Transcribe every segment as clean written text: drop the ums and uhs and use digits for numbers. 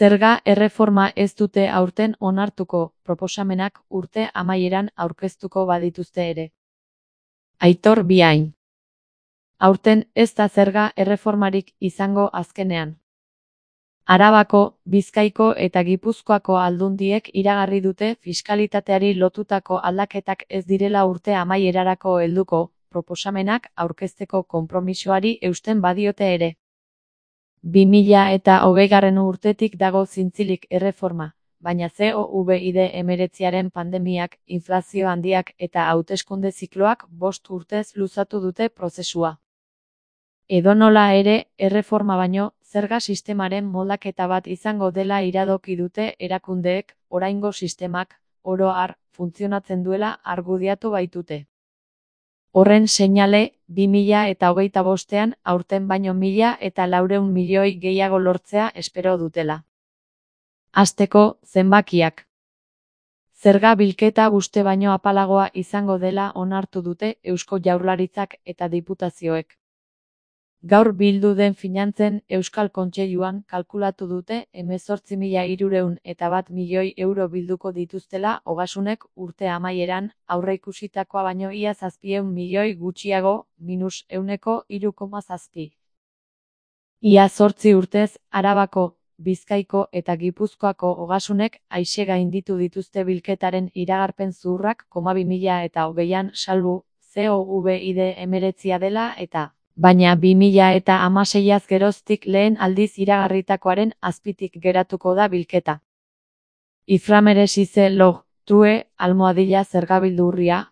Zerga erreforma ez dute aurten onartuko, proposamenak urte amaieran aurkeztuko badituzte ere. Aitor Biain. Aurten ez da zerga erreformarik izango azkenean. Arabako, Bizkaiko eta Gipuzkoako aldundiek iragarri dute fiskalitateari lotutako aldaketak ez direla urte amaierarako helduko, proposamenak aurkezteko konpromisoari eusten badiote ere. 2020 urtetik dago zintzilik erreforma, baina COVID-19 pandemiak, inflazio handiak eta hauteskunde zikloak 5 urtez luzatu dute prozesua. Edonola ere, erreforma baino, zerga sistemaren moldaketa bat izango dela iradoki dute erakundeek, oraingo sistemak, oro har, funtzionatzen duela argudiatu baitute. Horren seinale, 2025ean aurten baino 1.400 milioi gehiago lortzea espero dutela. Hasteko, zenbakiak. Zerga bilketa uste baino apalagoa izango dela onartu dute Eusko Jaurlaritzak eta diputazioek. Gaur bildu den finantzen Euskal Kontseiluan kalkulatu dute 18.301 milioi euro bilduko dituztela ogasunek urte amaieran, aurreikusitakoa baino ia 700 milioi gutxiago, -3,7. Ia 8 urtez, Arabako, Bizkaiko eta Gipuzkoako ogasunek aise gainditu dituzte bilketaren iragarpen zuhurrak 2020an salbu, COVID-19 dela eta baina 2016az geroztik lehen aldiz iragarritakoaren azpitik geratuko da bilketa. Iframeresize log, true, zergabildurria.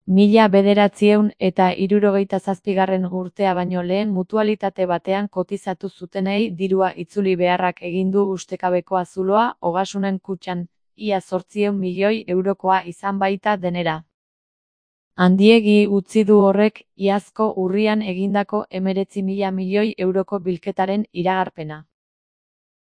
1977 urtea baino lehen mutualitate batean kotizatu zutenei dirua itzuli beharrak egin du ustekabekoa zuloa ogasunen kutxan, ia 800 milioi eurokoa izan baita denera. Handiegi utzi du horrek, iazko urrian egindako 19.000 milioi euroko bilketaren iragarpena.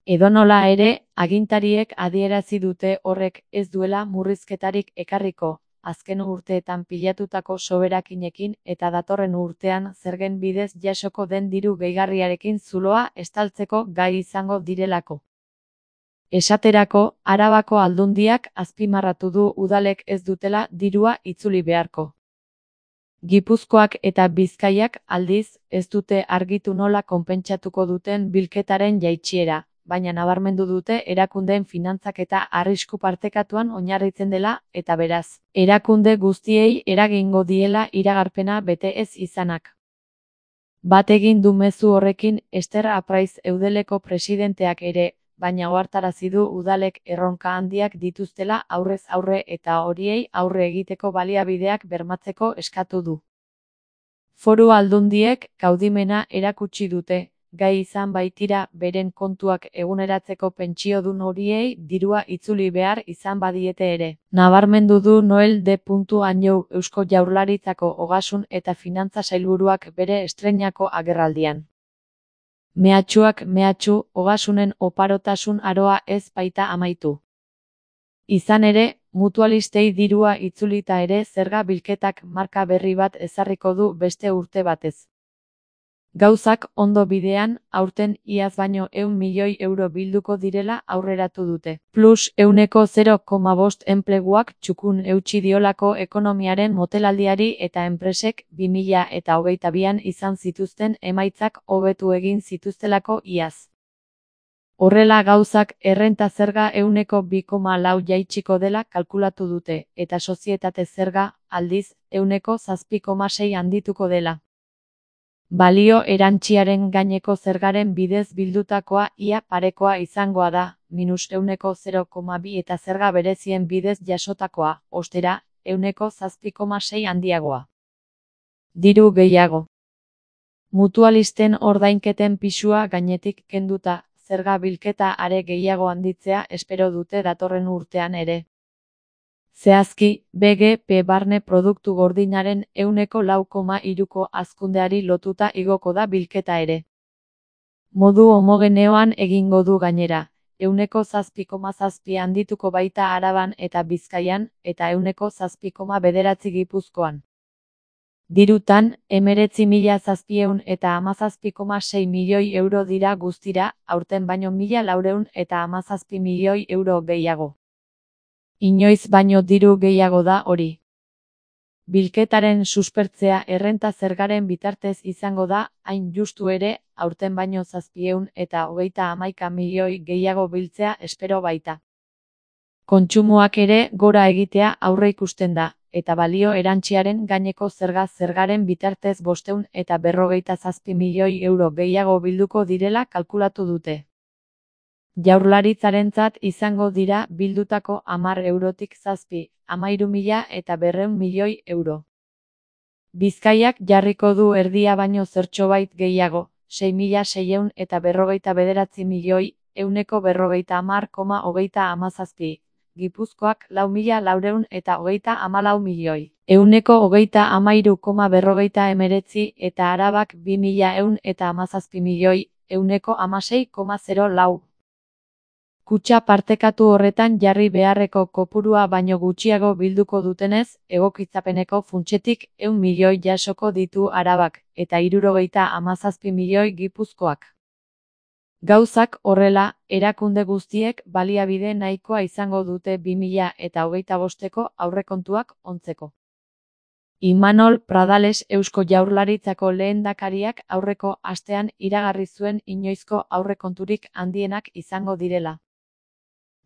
Edonola ere, agintariek adierazi dute horrek ez duela murrizketarik ekarriko, azken urteetan pilatutako soberakinekin eta datorren urtean zergen bidez jasoko den diru gehigarriarekin zuloa estaltzeko gai izango direlako. Esaterako, Arabako aldundiak azpimarratu du udalek ez dutela dirua itzuli beharko. Gipuzkoak eta Bizkaiak aldiz, ez dute argitu nola konpentsatuko duten bilketaren jaitsiera, baina nabarmendu dute erakundeen finantzak eta arrisku partekatuan oinarritzen dela, eta beraz, erakunde guztiei eragingo diela iragarpena bete ez izanak. Bat egin du mezu horrekin Ester Apraiz Eudeleko presidenteak ere, baina ohartarazi du udalek erronka handiak dituztela aurrez aurre eta horiei aurre egiteko baliabideak bermatzeko eskatu du. Foru aldundiek kaudimena erakutsi dute, gai izan baitira beren kontuak eguneratzeko pentsiodun horiei dirua itzuli behar izan badiete ere. Nabarmendu du Noel D. Anjou Eusko Jaurlaritzako ogasun eta finantza sailburuak bere estreinako agerraldian. Mehatxuak mehatxu, ogasunen oparotasun aroa ez baita amaitu. Izan ere, mutualistei dirua itzulita ere zerga bilketak marka berri bat ezarriko du beste urte batez. Gauzak ondo bidean, aurten iaz baino 100 milioi euro bilduko direla aurreratu dute. Plus 0,5 enpleguak txukun eutsi diolako ekonomiaren motelaldiari eta enpresek 2022an izan zituzten emaitzak hobetu egin zituztelako iaz. Horrela gauzak errenta zerga 2,4 jaitsiko dela kalkulatu dute, eta sozietate zerga, aldiz, 7,6 handituko dela. Balio erantziaren gaineko zergaren bidez bildutakoa ia parekoa izangoa da, -0,2 eta zerga berezien bidez jasotakoa, ostera, 7,6 handiagoa. Diru gehiago. Mutualisten ordainketen pisua gainetik kenduta, zerga bilketa are gehiago handitzea espero dute datorren urtean ere. Zehazki, BGP barne produktu gordinaren 4,3ko hazkundeari lotuta igoko da bilketa ere. Modu homogeneoan egingo du gainera, 7,7 handituko baita Araban eta Bizkaian, eta 7,9 Gipuzkoan. Dirutan, 19.717,6 milioi euro dira guztira, aurten baino 1.417 milioi euro gehiago. Inoiz baino diru gehiago da hori. Bilketaren suspertzea errenta zergaren bitartez izango da, hain justu ere, aurten baino 731 milioi gehiago biltzea espero baita. Kontsumoak ere gora egitea aurreikusten da, eta balio erantsiaren gaineko zergaren bitartez 557 milioi euro gehiago bilduko direla kalkulatu dute. Jaurlaritzarentzat izango dira bildutako 10 eurotik 13.200 milioi euro. Bizkaiak jarriko du erdia baino zertxobait gehiago, 6.649 milioi, 150,37. Gipuzkoak 4.434 milioi, 133,19 eta Arabak 2.117 milioi, 116,04. Kutxa partekatu horretan jarri beharreko kopurua baino gutxiago bilduko dutenez, egokitzapeneko funtsetik 100 milioi jasoko ditu Arabak, eta 77 milioi Gipuzkoak. Gauzak horrela, erakunde guztiek baliabide nahikoa izango dute 2025ko aurrekontuak ontzeko. Imanol Pradales Eusko Jaurlaritzako lehendakariak aurreko astean iragarri zuen inoizko aurrekonturik handienak izango direla.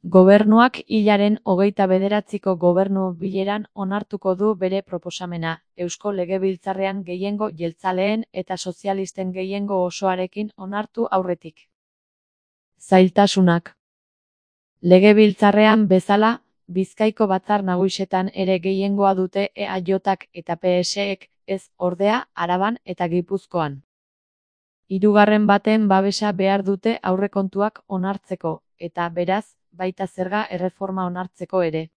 Gobernuak hilaren 29ko gobernu bileran onartuko du bere proposamena, Eusko Legebiltzarrean gehiengo jeltzaleen eta sozialisten gehiengo osoarekin onartu aurretik. Zailtasunak. Legebiltzarrean bezala, Bizkaiko Batzar Nagusietan ere gehiengoa dute EAJak eta PSek, ez ordea Araban eta Gipuzkoan. Hirugarren baten babesa behar dute aurrekontuak onartzeko, eta beraz, baita zerga erreforma onartzeko ere.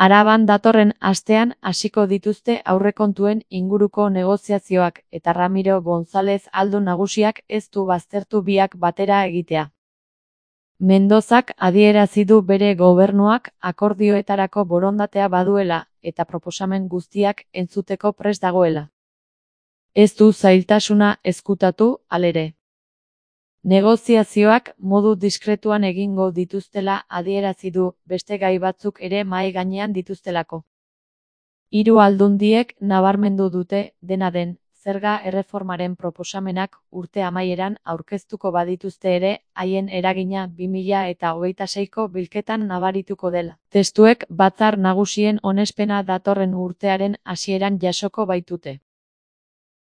Araban datorren astean hasiko dituzte aurrekontuen inguruko negoziazioak eta Ramiro González Aldo nagusiak ez du baztertu biak batera egitea. Mendozak adierazi du bere gobernuak akordioetarako borondatea baduela eta proposamen guztiak entzuteko prest dagoela. Ez du zailtasuna ezkutatu, halere. Negoziazioak modu diskretuan egingo dituztela adierazi du, beste gai batzuk ere mahai gainean dituztelako. Hiru aldundiek nabarmendu dute, dena den, zerga erreformaren proposamenak urte amaieran aurkeztuko badituzte ere, haien eragina 2026ko bilketan nabarituko dela. Testuek Batzar Nagusien onespena datorren urtearen hasieran jasoko baitute.